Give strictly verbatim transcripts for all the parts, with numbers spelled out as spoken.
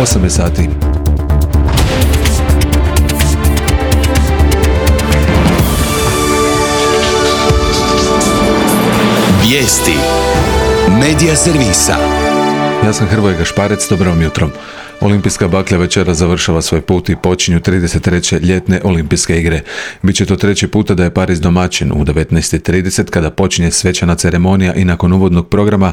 osam sati. Vijesti Medija servisa. Ja sam Hrvoje Gašparec, dobro vam jutro. Olimpijska baklja večera završava svoj put i počinju trideset treće ljetne olimpijske igre. Biće to treći puta da je Pariz domaćin u devetnaest i trideset kada počinje svečana ceremonija i nakon uvodnog programa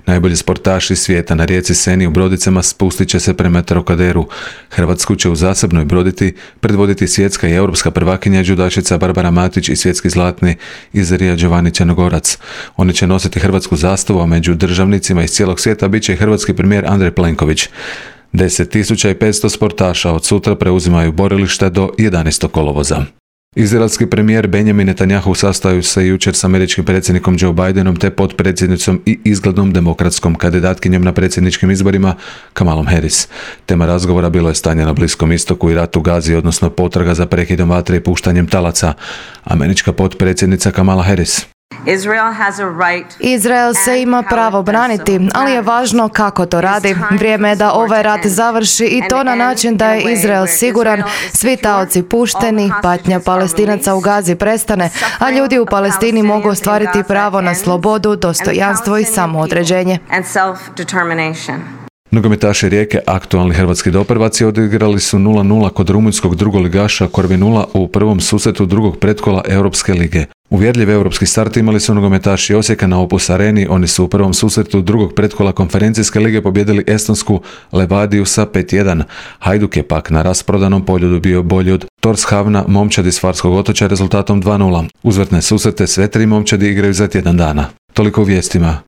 najbolji sportaši svijeta na rijeci Seni u brodicama spustit će se prema Trokaderu. Hrvatsku će u zasebnoj broditi predvoditi svjetska i europska prvakinja džudašica Barbara Matić i svjetski zlatni Izarija Giovanni Črnogorac. Oni će nositi hrvatsku zastavu, a među državnicima iz cijelog svijeta bit će i hrvatski premijer Andrej Plenković. deset tisuća petsto sportaša od sutra preuzimaju borilište do jedanaestog kolovoza. Izraelski premijer Benjamin Netanjahu sastaju se jučer s američkim predsjednikom Joe Bidenom te potpredsjednicom i izglednom demokratskom kandidatkinjom na predsjedničkim izborima Kamalom Harris. Tema razgovora bilo je stanje na Bliskom istoku i rat u Gazi, odnosno potraga za prekidom vatre i puštanjem talaca. Američka potpredsjednica Kamala Harris: Izrael se ima pravo braniti, ali je važno kako to radi. Vrijeme je da ovaj rat završi i to na način da je Izrael siguran, svi taoci pušteni, patnja Palestinaca u Gazi prestane, a ljudi u Palestini mogu ostvariti pravo na slobodu, dostojanstvo i samoodređenje. Nogometaši Rijeke, aktualni hrvatski doprvaci, odigrali su nula nula kod rumunjskog drugoligaša Corvinula u prvom susretu drugog pretkola Europske lige. Uvjerljiv europski start imali su nogometaši Osijeka na Opus Areni. Oni su u prvom susretu drugog pretkola konferencijske lige pobjedili estonsku Levadiju sa pet jedan. Hajduk je pak na rasprodanom poljudu bio bolji od Torshavna, momčadi iz Farskog otočja rezultatom dva nula. Uzvratne susrete sve tri momčadi igraju za tjedan dana. Toliko u vijestima.